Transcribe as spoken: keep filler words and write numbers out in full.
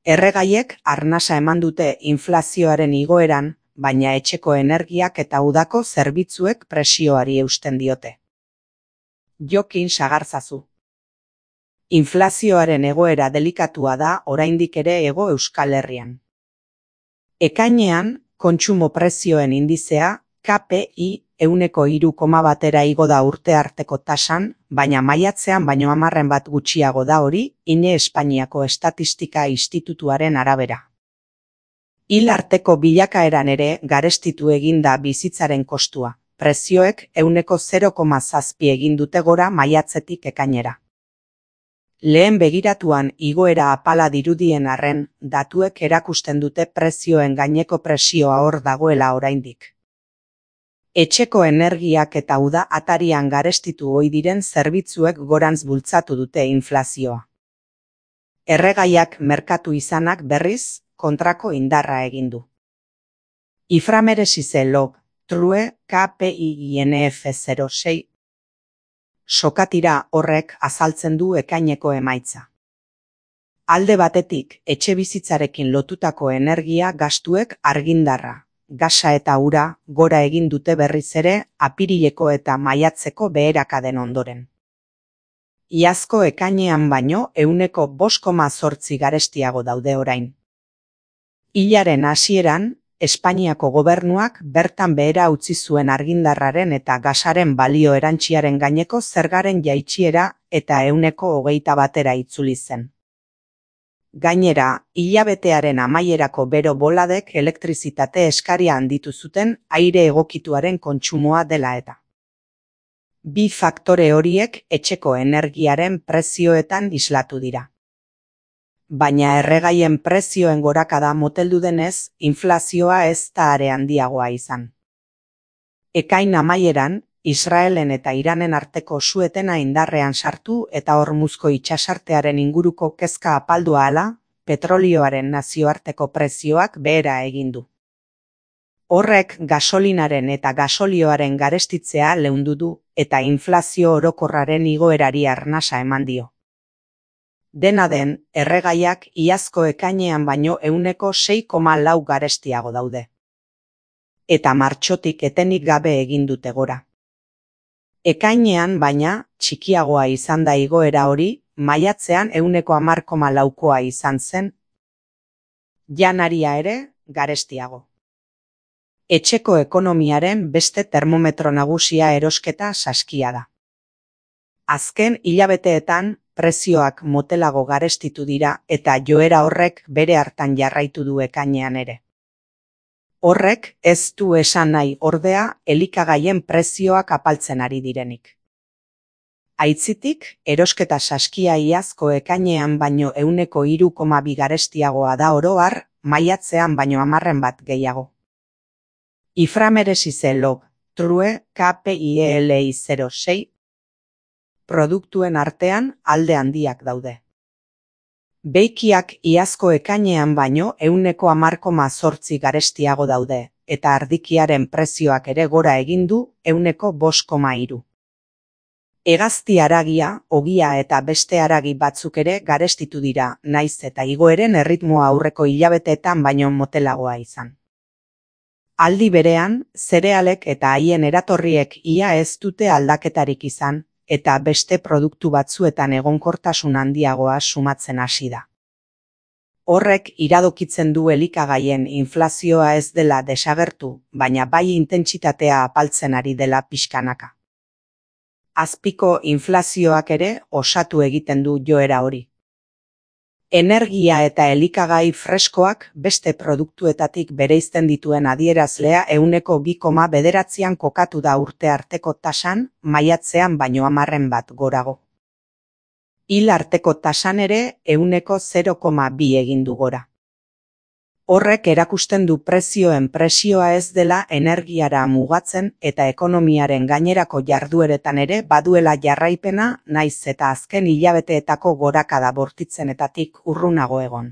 Erregaiek arnasa eman dute inflazioaren igoeran, baina etxeko energiak eta udako zerbitzuek presioari eusten diote. Jokin sagarzazu. Inflazioaren egoera delikatua da oraindik ere Hego Euskal Herrian. Ekainean, kontsumo prezioen indizea, K P I, ehuneko hiru koma batera igo da urte arteko tasan, baina maiatzean baino hamarren bat gutxiago da hori, INE Espainiako Estatistika Institutuaren arabera. Hil arteko bilakaeran ere garestitu egin da bizitzaren kostua, prezioek ehuneko zero koma zazpi egin dute gora maiatzetik ekainera. Lehen begiratuan igoera apala dirudien arren, datuek erakusten dute prezioen gaineko presioa hor dagoela oraindik. Etxeko energiak eta uda atarian garestitu ohi diren zerbitzuek gorantz bultzatu dute inflazioa. Erregaiak merkatu izanak berriz, kontrako indarra egin du. Iframeresize log, true, K P I I N F zero sei. Sokatira horrek azaltzen du ekaineko emaitza. Alde batetik, etxe bizitzarekin lotutako energia gastuek argindarra, gasa eta ura gora egin dute berriz ere apirileko eta maiatzeko beherakaden ondoren. Iazko ekainean baino ehuneko bost koma zortzi garestiago daude orain. Hilaren hasieran, Espainiako gobernuak bertan behera utzi zuen argindarraren eta gasaren balio erantsiaren gaineko zergaren jaitsiera eta ehuneko hogeita batera itzuli zen. Gainera, hilabetearen amaierako bero boladek elektrizitate eskaria handitu zuten aire egokituaren kontsumoa dela eta. Bi faktore horiek etxeko energiaren prezioetan islatu dira. Baina erregaien prezioen gorakada moteldu denez, inflazioa ez da are handiagoa izan. Ekain amaieran, Israelen eta Iranen arteko suetena indarrean sartu eta Hormuzko itsasartearen inguruko kezka apaldu ahala, petrolioaren nazioarteko prezioak behera egin du. Horrek gasolinaren eta gasolioaren garestitzea leundu du eta inflazio orokorraren igoerari arnasa eman dio. Dena den, erregaiak iazko ekainean baino ehuneko sei koma lau garestiago daude. Eta martxotik etenik gabe egin dute gora. Ekainean baina, txikiagoa izan da igoera hori, maiatzean ehuneko hamar koma laukoa izan zen. Janaria ere, garestiago. Etxeko ekonomiaren beste termometro nagusia erosketa saskia da. Azken hilabeteetan, prezioak motelago garestitu dira eta joera horrek bere hartan jarraitu du ekainean ere. Horrek ez du esan nahi ordea elikagaien prezioak apaltzen ari direnik. Aitzitik, erosketa saskia iazko ekainean baino ehuneko hiru koma bi garestiagoa da oro har, maiatzean baino hamarren bat gehiago. Iframeresize log, true, K P I L I zero sei. Produktuen artean alde handiak daude. Beikiak iazko ekainean baino ehuneko hamar koma zortzi garestiago daude, eta ardikiaren prezioak ere gora egin du ehuneko bost koma hiru. Hegazti haragia, ogia eta beste haragi batzuk ere garestitu dira, naiz eta igoeren erritmoa aurreko hilabeteetan baino motelagoa izan. Aldi berean, zerealek eta haien eratorriek ia ez dute aldaketarik izan, eta beste produktu batzuetan egonkortasun handiagoa sumatzen hasi da. Horrek iradokitzen du elikagaien inflazioa ez dela desagertu, baina bai intentsitatea apaltzen ari dela pixkanaka. Azpiko inflazioak ere osatu egiten du joera hori. Energia eta elikagai freskoak beste produktuetatik bereizten dituen adierazlea ehuneko bi koma bederatzian kokatu da urte arteko tasan, maiatzean baino hamarren bat gorago. Hil arteko tasan ere ehuneko zero koma bi egin du gora. Horrek erakusten du prezioen presioa ez dela energiara mugatzen eta ekonomiaren gainerako jardueretan ere baduela jarraipena naiz eta azken hilabeteetako gorakada bortitzenetatik urrunago egon.